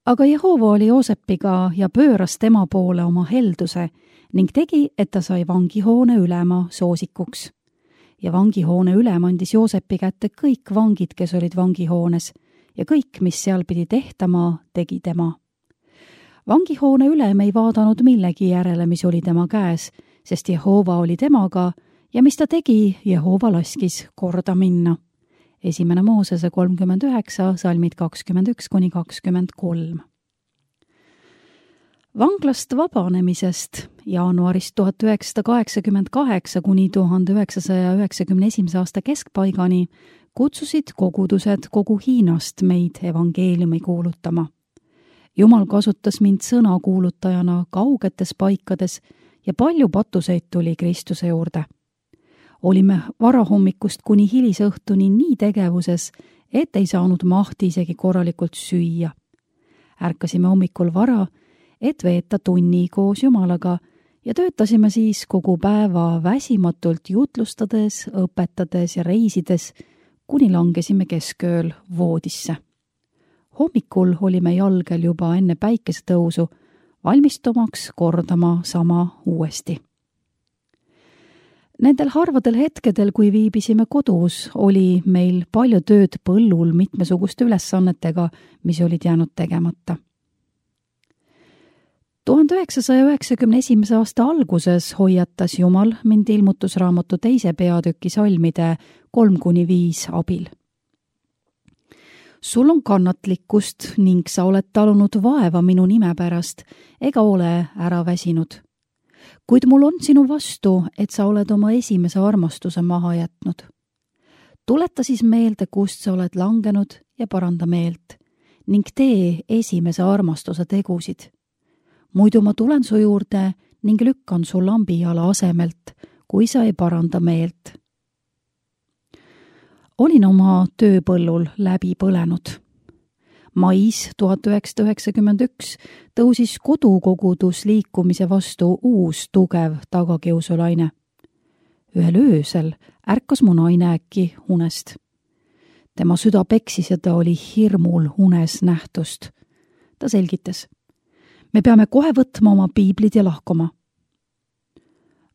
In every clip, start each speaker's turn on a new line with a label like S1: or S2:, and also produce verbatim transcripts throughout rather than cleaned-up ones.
S1: Aga Jehova oli Joosepiga ja pööras tema poole oma helduse ning tegi, et ta sai vangihoone ülema soosikuks. Ja vangihoone ülem andis Joosepi kätte kõik vangid, kes olid vangihoones, ja kõik, mis seal pidi tehtama, tegi tema. Vangihoone ülem ei vaadanud millegi järele, mis oli tema käes, sest Jehova oli temaga ja mis ta tegi, Jehova laskis korda minna. Esimene Moosese kolmkümmend üheksa, salmid kakskümmend üks kuni kakskümmend kolm. Vanglast vabanemisest jaanuarist tuhat üheksasada kaheksakümmend kaheksa kuni tuhande üheksasaja üheksakümne esimese aasta keskpaigani kutsusid kogudused kogu Hiinast meid evangeeliumi kuulutama. Jumal kasutas mind sõnakuulutajana kaugetes paikades ja palju patuseid tuli Kristuse juurde. Olime varahommikust kuni hilisõhtuni nii tegevuses, et ei saanud mahti isegi korralikult süüa. Ärkasime hommikul vara, et veeta tunni koos Jumalaga ja töötasime siis kogu päeva väsimatult jutlustades, õpetades ja reisides, kuni langesime keskööl voodisse. Hommikul olime jalgel juba enne päikesetõusu, valmistumaks kordama sama uuesti. Nendel harvadel hetkedel, kui viibisime kodus, oli meil palju tööd põllul mitmesuguste ülesannetega, mis olid jäänud tegemata. tuhande üheksasaja üheksakümne esimese aasta alguses hoiatas Jumal mind ilmutusraamatu teise peatüki salmide kolm kuni viis abil. Sul on kannatlikkust ning sa oled talunud vaeva minu nime pärast ega ole ära väsinud. Kuid mul on sinu vastu, et sa oled oma esimese armastuse maha jätnud. Tuleta siis meelde, kust sa oled langenud ja paranda meelt ning tee esimese armastuse tegusid. Muidu ma tulen su juurde ning lükkan su lambijala asemelt, kui sa ei paranda meelt. Olin oma tööpõllul läbi põlenud. Mais tuhat üheksasada üheksakümmend üks tõusis kodukogudus liikumise vastu uus tugev tagakiusulaine. Ühel öösel ärkas mu naine äkki unest. Tema süda peksis ja ta oli hirmul unes nähtust. Ta selgitas. Me peame kohe võtma oma piiblid ja lahkuma.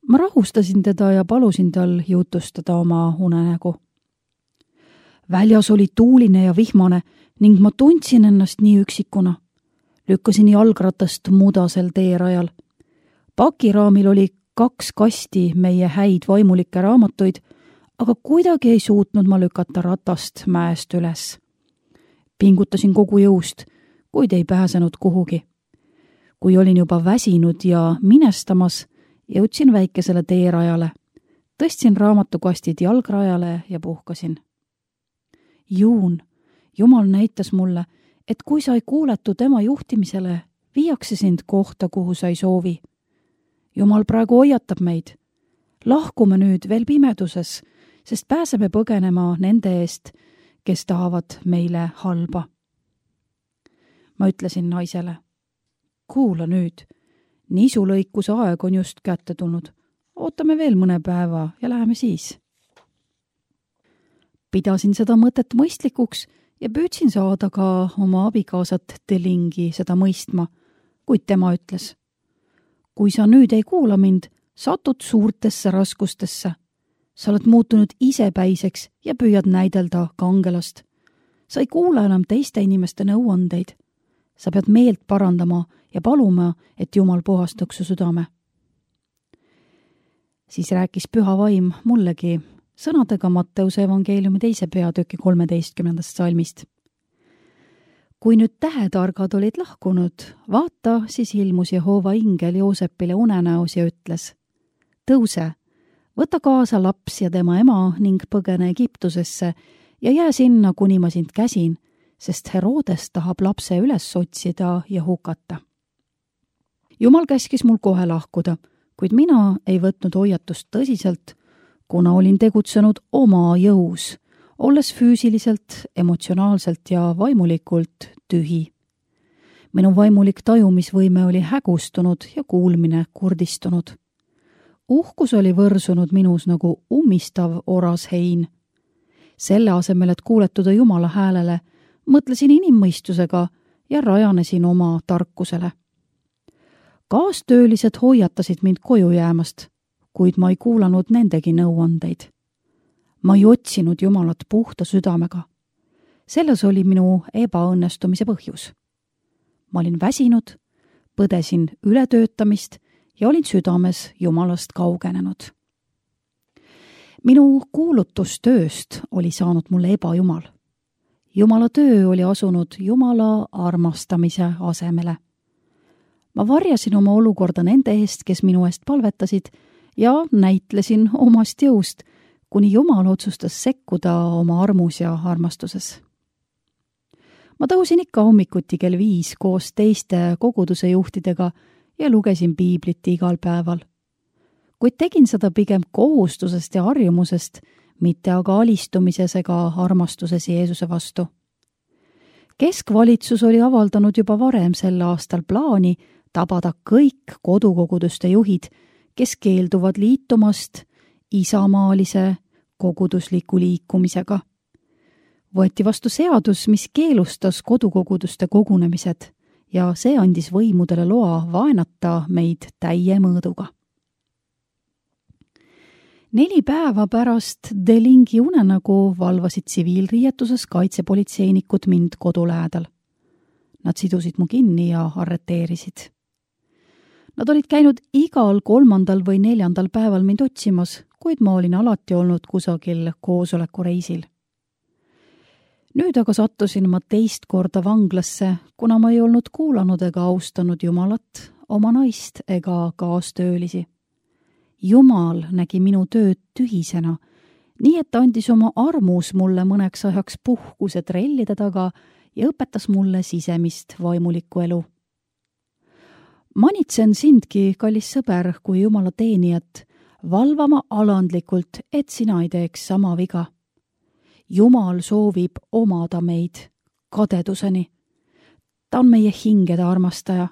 S1: Ma rahustasin teda ja palusin tal jutustada oma unenägu. Väljas oli tuuline ja vihmane ning ma tundsin ennast nii üksikuna. Lükkasin jalgratast mudasel teerajal. Pakiraamil oli kaks kasti meie häid vaimulikke raamatuid, aga kuidagi ei suutnud ma lükata ratast mäest üles. Pingutasin kogu jõust, kuid ei pääsenud kuhugi. Kui olin juba väsinud ja minestamas, jõudsin väikesele teerajale. Tõstsin raamatukastid jalgrajale ja puhkasin. Juun, Jumal näitas mulle, et kui sa ei kuuletu tema juhtimisele, viiakse sind kohta, kuhu sa ei soovi. Jumal praegu hoiatab meid. Lahkume nüüd veel pimeduses, sest pääseme põgenema nende eest, kes tahavad meile halba. Ma ütlesin naisele. Kuula nüüd, nisulõikuse aeg on just kätte tulnud. Ootame veel mõne päeva ja läheme siis. Pidasin seda mõtet mõistlikuks ja püüdsin saada ka oma abikaasat Delingi seda mõistma, kuid tema ütles. Kui sa nüüd ei kuula mind, satud suurtesse raskustesse. Sa oled muutunud isepäiseks ja püüad näidelda kangelast. Sa ei kuula enam teiste inimeste nõuandeid. Sa pead meelt parandama ja paluma, et Jumal puhastaks su südame. Siis rääkis püha vaim mullegi sõnadega Matteuse evangeeliumi teise peatüki kolmeteistkümnendast salmist. Kui nüüd tähetargad olid lahkunud, vaata, siis ilmus Jehova ingel Joosepile unenäos ja ütles. Tõuse, võta kaasa laps ja tema ema ning põgene Egiptusesse ja jää sinna, kuni ma sind käsin, sest Herodes tahab lapse üles otsida ja hukata. Jumal käskis mul kohe lahkuda, kuid mina ei võtnud hoiatust tõsiselt, kuna olin tegutsenud oma jõus, olles füüsiliselt, emotsionaalselt ja vaimulikult tühi. Minu vaimulik tajumisvõime oli hägustunud ja kuulmine kurdistunud. Uhkus oli võrsunud minus nagu ummistav oras hein. Selle asemel, et kuuletuda Jumala häälele, mõtlesin inimmõistusega ja rajanesin oma tarkusele. Kaastöölised hoiatasid mind koju jäämast, kuid ma ei kuulanud nendegi nõuandeid. Ma ei otsinud Jumalat puhta südamega. Selles oli minu ebaõnnestumise põhjus. Ma olin väsinud, põdesin ületöötamist ja olin südames Jumalast kaugenenud. Minu kuulutustööst oli saanud mulle ebajumal. Jumala töö oli asunud Jumala armastamise asemele. Ma varjasin oma olukorda nende eest, kes minu eest palvetasid, ja näitlesin omast jõust, kuni Jumal otsustas sekkuda oma armus ja armastuses. Ma tõusin ikka hommikuti kell viis koos teiste koguduse juhtidega ja lugesin piiblit igal päeval. Kuid tegin seda pigem kohustusest ja harjumusest, mitte aga alistumises ega armastuses Jeesuse vastu. Keskvalitsus oli avaldanud juba varem sel aastal plaani tabada kõik kodukoguduste juhid, kes keelduvad liitumast isamaalise kogudusliku liikumisega. Võeti vastu seadus, mis keelustas kodukoguduste kogunemised ja see andis võimudele loa vaenata meid täie mõõduga. Neli päeva pärast Delingi unenägu valvasid tsiviilriietuses kaitsepolitseinikud mind kodu lähedal. Nad sidusid mu kinni ja arreteerisid. Nad olid käinud igal kolmandal või neljandal päeval mind otsimas, kuid ma olin alati olnud kusagil koosolekureisil. Nüüd aga sattusin ma teist korda vanglasse, kuna ma ei olnud kuulanud ega austanud Jumalat, oma naist ega kaastöölisi. Jumal nägi minu tööd tühisena, nii et ta andis oma armus mulle mõneks ajaks puhkuse trellide taga ja õpetas mulle sisemist vaimulikku elu. Manitsen sindki, kallis sõber, kui Jumala teenijat, valvama alandlikult, et sina ei teeks sama viga. Jumal soovib omada meid kadeduseni. Ta on meie hingede armastaja.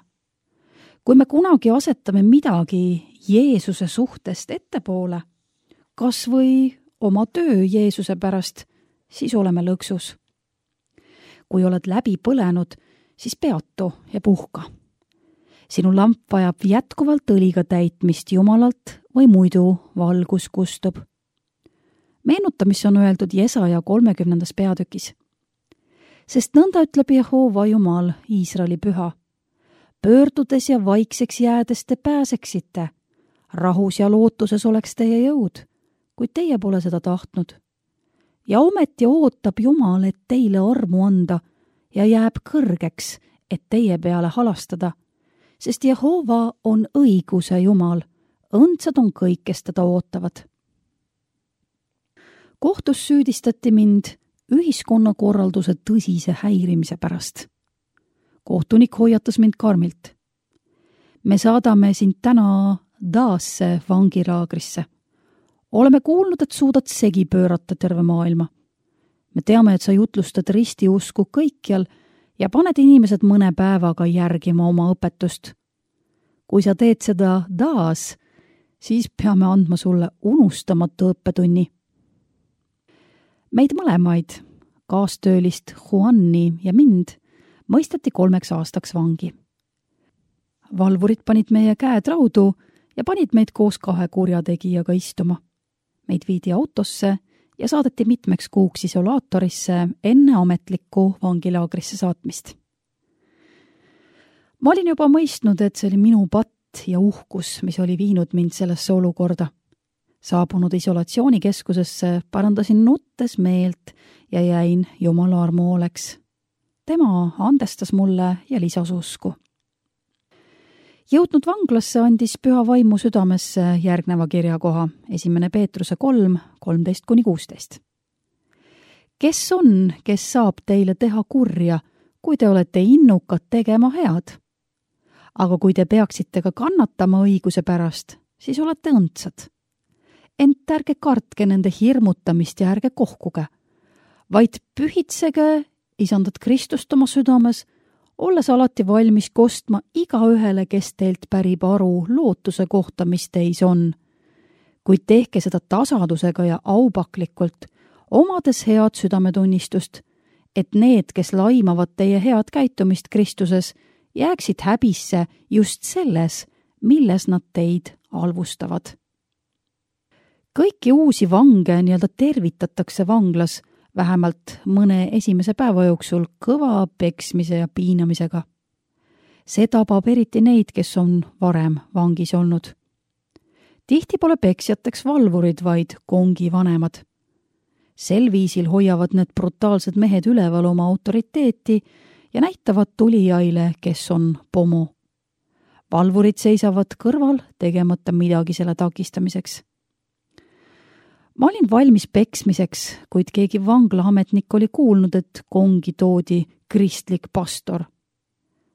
S1: Kui me kunagi asetame midagi Jeesuse suhtest ettepoole, kas või oma töö Jeesuse pärast, siis oleme lõksus. Kui oled läbi põlenud, siis peatu ja puhka. Sinu lamp vajab jätkuvalt õliga täitmist Jumalalt või muidu valgus kustub. Meenuta, mis on öeldud Jesaja kolmekümnendas peatükis. Sest nõnda ütleb Jehova Jumal, Iisraeli püha. Pöördudes ja vaikseks jäädes te pääseksite. Rahus ja lootuses oleks teie jõud, kuid teie pole seda tahtnud. Ja ometi ootab Jumal, et teile armu anda ja jääb kõrgeks, et teie peale halastada, sest Jehova on õiguse Jumal, õndsad on kõik, kes teda ootavad. Kohtus süüdistati mind ühiskonnakorralduse tõsise häirimise pärast. Kohtunik hoiatas mind karmilt. Me saadame sind täna Daasse vangilaagrisse. Oleme kuulnud, et suudad segi pöörata terve maailma. Me teame, et sa jutlustad ristiusku kõikjal ja paned inimesed mõne päevaga järgima oma õpetust. Kui sa teed seda Daas, siis peame andma sulle unustamatu õppetunni. Meid mõlemaid, kaastöölist Juanni ja mind, mõisteti kolmeks aastaks vangi. Valvurid panid meie käed raudu ja panid meid koos kahe kurjategijaga istuma. Meid viidi autosse ja saadeti mitmeks kuuks isolaatorisse enne ametlikku vangilaagrisse saatmist. Ma olin juba mõistnud, et see oli minu patt ja uhkus, mis oli viinud mind sellesse olukorda. Saabunud isolatsioonikeskusesse parandasin nuttes meelt ja jäin Jumala armu hooleks. Tema andestas mulle ja lisas usku. Jõudnud vanglasse andis püha vaimu südamesse järgneva kirjakoha, esimene Peetruse kolm, kolmteist kuni kuusteist. Kes on, kes saab teile teha kurja, kui te olete innukad tegema head? Aga kui te peaksite ka kannatama õiguse pärast, siis olete õndsad. Ent ärge kartke nende hirmutamist ja ärge kohkuge, vaid pühitsege isandat Kristust oma südames, olles alati valmis kostma igaühele, kes teilt pärib aru lootuse kohta, mis teis on. Kuid tehke seda tasadusega ja aupaklikult, omades head südametunnistust, et need, kes laimavad teie head käitumist Kristuses, jääksid häbisse just selles, milles nad teid halvustavad. Kõiki uusi vange nii-öelda tervitatakse vanglas vähemalt mõne esimese päeva jooksul kõva peksmise ja piinamisega. See tabab eriti neid, kes on varem vangis olnud. Tihti pole peksjateks valvurid, vaid kongi vanemad. Sel viisil hoiavad need brutaalsed mehed üleval oma autoriteeti ja näitavad tulijaile, kes on pomo. Valvurid seisavad kõrval, tegemata midagi selle takistamiseks. Ma olin valmis peksmiseks, kuid keegi vanglaametnik oli kuulnud, et kongi toodi kristlik pastor.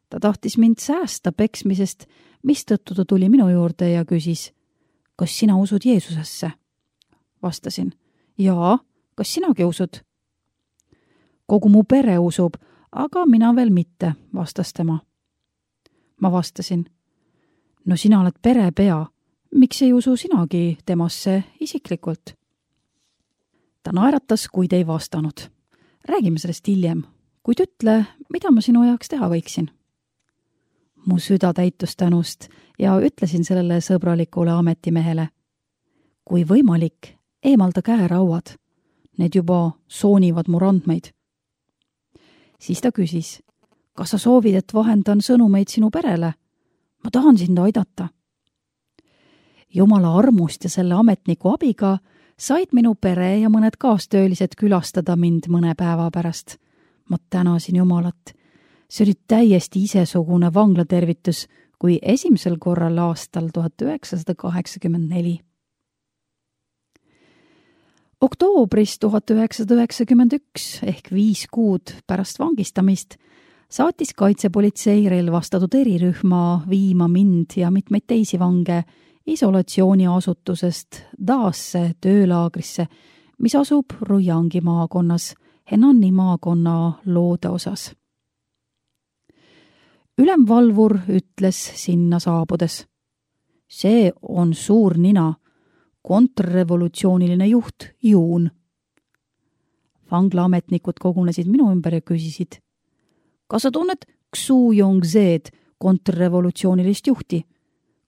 S1: Ta tahtis mind säästa peksmisest, mistõttu ta tuli minu juurde ja küsis, kas sina usud Jeesusesse? Vastasin, jaa, kas sinagi usud? Kogu mu pere usub, aga mina veel mitte, vastas tema. Ma vastasin, no sina oled perepea, miks ei usu sinagi temasse isiklikult? Ta naeratas, kuid ei vastanud. Räägime sellest hiljem, kuid ütle, mida ma sinu jaoks teha võiksin. Mu süda täitus tänust ja ütlesin sellele sõbralikule ametimehele. Kui võimalik, eemalda käerauad. Need juba soonivad mu randmeid. Siis ta küsis, kas sa soovid, et vahendan sõnumeid sinu perele? Ma tahan sind aidata. Jumala armust ja selle ametniku abiga said minu pere ja mõned kaastöölised külastada mind mõne päeva pärast. Ma tänasin Jumalat. See oli täiesti isesugune vanglatervitus kui esimesel korral aastal tuhat üheksasada kaheksakümmend neli. Oktoobris tuhat üheksasada üheksakümmend üks ehk viis kuud pärast vangistamist saatis kaitsepolitsei relvastatud erirühma viima mind ja mitmeid teisi vange isolatsiooniasutusest Daasse töölaagrisse, mis asub Rujangi maakonnas, Henani maakonna loode osas. Ülemvalvur ütles sinna saabudes. See on suur nina, kontrrevolutsiooniline juht Juun. Vanglaametnikud kogunesid minu ümber ja küsisid, kas sa tunned Xu Yongzed, kontrrevolutsioonilist juhti?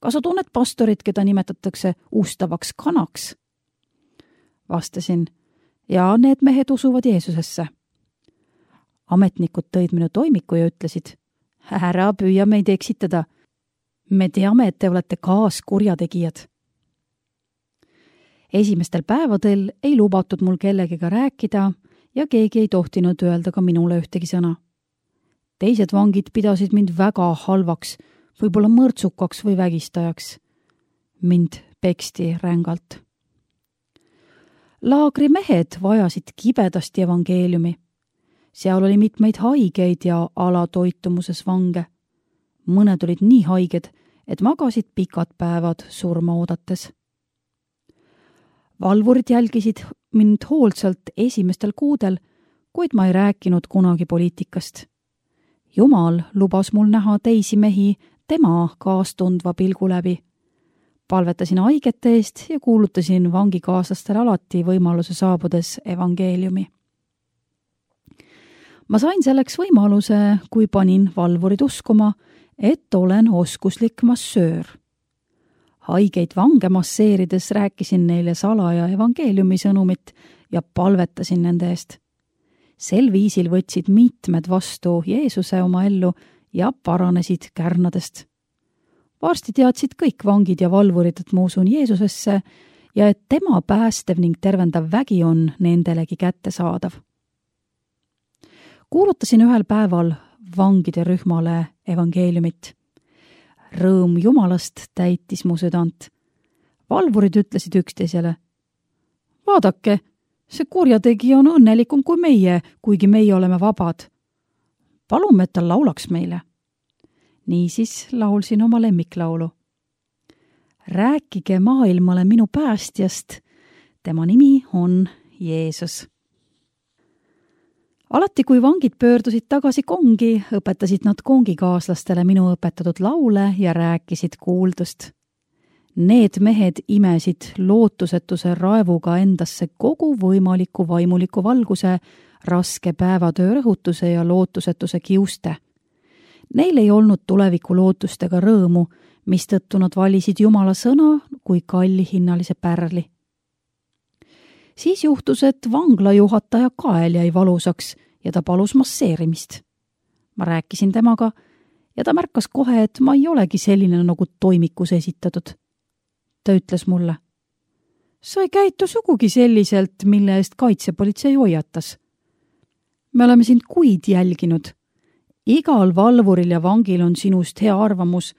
S1: Kas sa tunned pastorit, keda nimetatakse ustavaks kanaks? Vastasin, ja need mehed usuvad Jeesusesse. Ametnikud tõid minu toimiku ja ütlesid, ära püüa meid eksitada. Me teame, et te olete kaaskurjategijad. Esimestel päevadel ei lubatud mul kellegiga rääkida ja keegi ei tohtinud öelda ka minule ühtegi sõna. Teised vangid pidasid mind väga halvaks, võib-olla mõrtsukaks või vägistajaks. Mind peksti rängalt. Laagri mehed vajasid kibedasti evangeeliumi. Seal oli mitmeid haigeid ja alatoitumuses vange. Mõned olid nii haiged, et magasid pikad päevad surma oodates. Valvurid jälgisid mind hoolsalt esimestel kuudel, kuid ma ei rääkinud kunagi poliitikast. Jumal lubas mul näha teisi mehi tema kaastundva pilgu läbi. Palvetasin haigete eest ja kuulutasin vangikaaslastele alati võimaluse saabudes evangeeliumi. Ma sain selleks võimaluse, kui panin valvurid uskuma, et olen oskuslik massöör. Haigeid vange masseerides rääkisin neile salaja evangeeliumi sõnumit ja palvetasin nende eest. Sel viisil võtsid mitmed vastu Jeesuse oma ellu ja paranesid kärnadest. Varsti teadsid kõik vangid ja valvurid, et ma usun Jeesusesse ja et tema päästev ning tervendav vägi on nendelegi kättesaadav. Kuulutasin ühel päeval vangide rühmale evangeeliumit. Rõõm Jumalast täitis mu südant. Valvurid ütlesid üksteisele, vaadake, see kurjategija on õnnelikum kui meie, kuigi meie oleme vabad. Palume, et ta laulaks meile. Niisiis laulsin oma lemmiklaulu. Rääkige maailmale minu päästjast, tema nimi on Jeesus. Alati, kui vangid pöördusid tagasi kongi, õpetasid nad kongikaaslastele minu õpetatud laule ja rääkisid kuuldust. Need mehed imesid lootusetuse raevuga endasse kogu võimaliku vaimuliku valguse, raske päevatöö rõhutuse ja lootusetuse kiuste. Neil ei olnud tuleviku lootust ega rõõmu, mistõttu nad valisid Jumala sõna kui kallihinnalise pärli. Siis juhtus, et vangla juhataja kael jäi valusaks ja ta palus masseerimist. Ma rääkisin temaga ja ta märkas kohe, et ma ei olegi selline nagu toimikus esitatud. Ta ütles mulle: sa ei käitu sugugi selliselt, mille eest kaitsepolitsei hoiatas. Me oleme sind kuid jälginud. Igal valvuril ja vangil on sinust hea arvamus,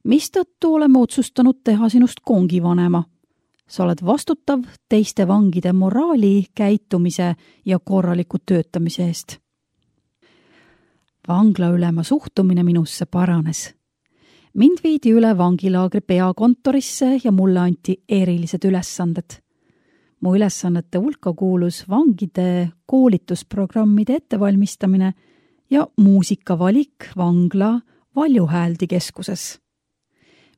S1: mistõttu oleme otsustanud teha sinust kongivanema. Sa oled vastutav teiste vangide moraali, käitumise ja korraliku töötamise eest. Vanglaülema suhtumine minusse paranes. Mind viidi üle vangilaagri peakontorisse ja mulle anti erilised ülesanded. Mu ülesannete hulka kuulus vangide koolitusprogrammide ettevalmistamine ja muusikavalik vangla valjuhääldi keskuses.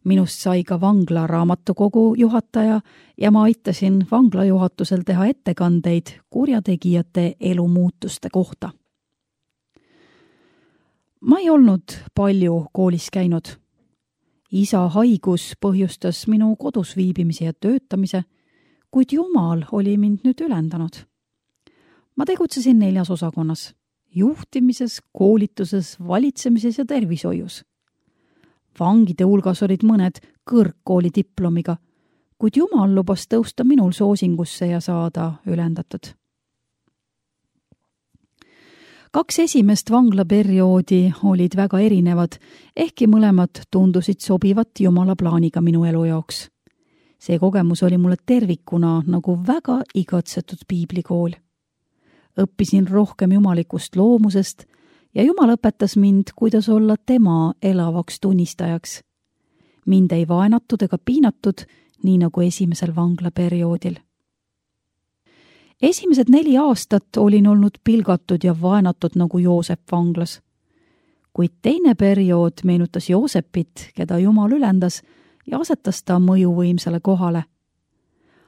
S1: Minust sai ka vangla raamatukogu juhataja ja ma aitasin vangla juhatusel teha ettekandeid kurjategijate elumuutuste kohta. Ma ei olnud palju koolis käinud. Isa haigus põhjustas minu kodus viibimise ja töötamise, kuid Jumal oli mind nüüd ülendanud. Ma tegutsesin neljas osakonnas: juhtimises, koolituses, valitsemises ja tervishoius. Vangide hulgas olid mõned kõrgkooli diplomiga, kuid Jumal lubas tõusta minul soosingusse ja saada ülendatud. Kaks esimest vanglaperioodi olid väga erinevad, ehkki mõlemad tundusid sobivat Jumala plaaniga minu elu jaoks. See kogemus oli mulle tervikuna nagu väga igatsetud piiblikool. Õppisin rohkem jumalikust loomusest ja Jumal õpetas mind, kuidas olla tema elavaks tunnistajaks. Mind ei vaenatud ega piinatud, nii nagu esimesel vanglaperioodil. Esimesed neli aastat olin olnud pilgatud ja vaenatud nagu Joosep vanglas. Kuid teine periood meenutas Joosepit, keda Jumal ülendas ja asetas ta mõjuvõimsale kohale.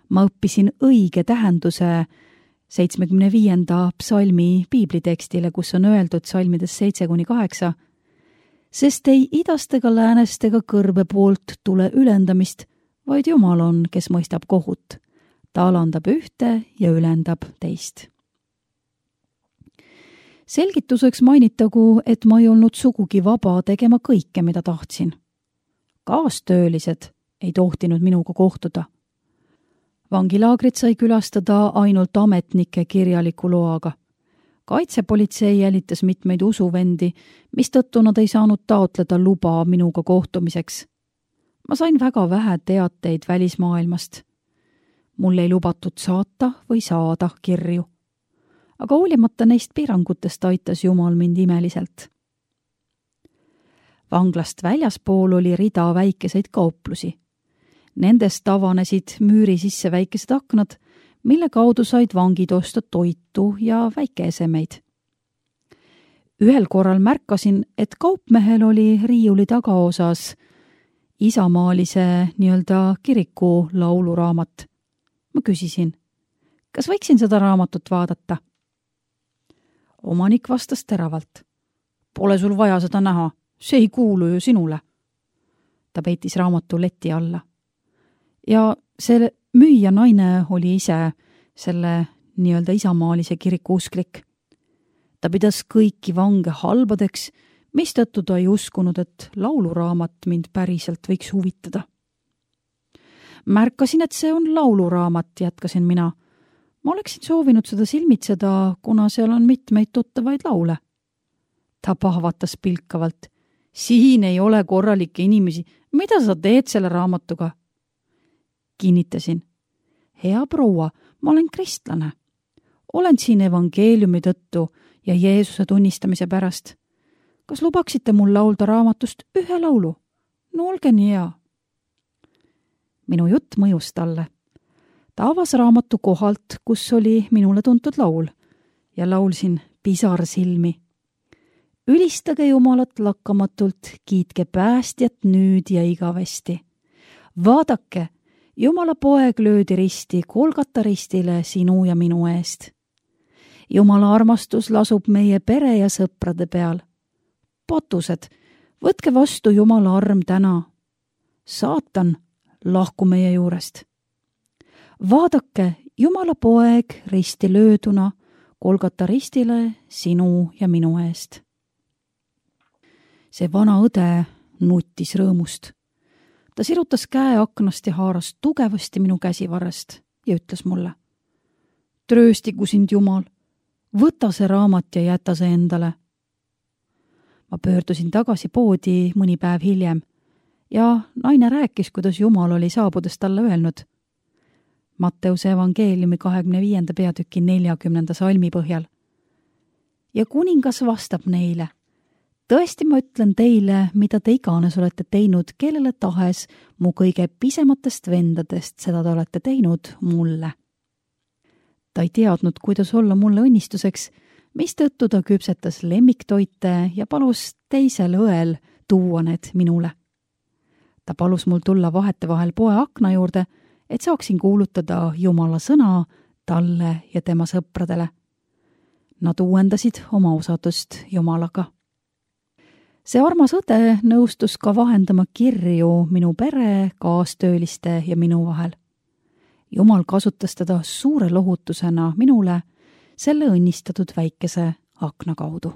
S1: Ma õppisin õige tähenduse seitsmekümne viienda psalmi piiblitekstile, kus on öeldud psalmides seitse kuni kaheksa, sest ei idast ega läänest ega kõrbe poolt tule ülendamist, vaid Jumal on, kes mõistab kohut. Ta alandab ühte ja ülendab teist. Selgituseks mainitagu, et ma ei olnud sugugi vaba tegema kõike, mida tahtsin. Kaastöölised ei tohtinud minuga kohtuda. Vangilaagrit sai külastada ainult ametnike kirjaliku loaga. Kaitsepolitsei jälitas mitmeid usuvendi, mistõttu nad ei saanud taotleda luba minuga kohtumiseks. Ma sain väga vähe teateid välismaailmast. Mul ei lubatud saata või saada kirju. Aga hoolimata neist piirangutest aitas Jumal mind imeliselt. Vanglast väljaspool oli rida väikeseid kauplusi. Nendest avanesid müüri sisse väikesed aknad, mille kaudu said vangid osta toitu ja väikeesemeid. Ühel korral märkasin, et kaupmehel oli riiuli tagaosas isamaalise nii-öelda kiriku lauluraamat. Ma küsisin, kas võiksin seda raamatut vaadata? Omanik vastas teravalt. Pole sul vaja seda näha, see ei kuulu ju sinule. Ta peitis raamatu leti alla. Ja see müüja naine oli ise selle nii-öelda isamaalise kiriku usklik. Ta pidas kõiki vange halbadeks, mistõttu ta ei uskunud, et lauluraamat mind päriselt võiks huvitada. Märkasin, et see on lauluraamat, jätkasin mina. Ma oleksin soovinud seda silmitseda, kuna seal on mitmeid tuttavaid laule. Ta pahvatas pilkavalt. Siin ei ole korralikke inimesi. Mida sa teed selle raamatuga? Kinnitasin. Hea proua, ma olen kristlane. Olen siin evangeeliumi tõttu ja Jeesuse tunnistamise pärast. Kas lubaksite mul laulda raamatust ühe laulu? No olge nii hea. Minu jutt mõjus talle. Ta avas raamatu kohalt, kus oli minule tuntud laul ja laulsin pisar silmi. Ülistage Jumalat lakkamatult, kiitke päästjat nüüd ja igavesti. Vaadake, Jumala poeg löödi risti Golgata ristile sinu ja minu eest. Jumala armastus lasub meie pere ja sõprade peal. Patused, võtke vastu Jumala arm täna. Saatan, lahku meie juurest. Vaadake, Jumala poeg risti lööduna, Golgata ristile sinu ja minu eest. See vana õde nuttis rõõmust. Ta sirutas käe aknast ja haaras tugevasti minu käsivarrest ja ütles mulle: Trööstigu sind Jumal, võta see raamat ja jäta see endale. Ma pöördusin tagasi poodi mõni päev hiljem ja naine rääkis, kuidas Jumal oli saabudes talle öelnud. Matteuse evangeeliumi kahekümne viienda peatüki neljakümnenda salmi põhjal. Ja kuningas vastab neile: tõesti ma ütlen teile, mida te iganes olete teinud, kellele tahes mu kõige pisematest vendadest, seda te olete teinud mulle. Ta ei teadnud, kuidas olla mulle õnnistuseks, mistõttu ta küpsetas lemmiktoite ja palus teisel õel tuua need minule. Ta palus mul tulla vahetevahel poe akna juurde, et saaksin kuulutada Jumala sõna talle ja tema sõpradele. Nad uuendasid oma usaldust Jumalaga. See armas õde nõustus ka vahendama kirju minu pere, kaastööliste ja minu vahel. Jumal kasutas teda suure lohutusena minule selle õnnistatud väikese akna kaudu.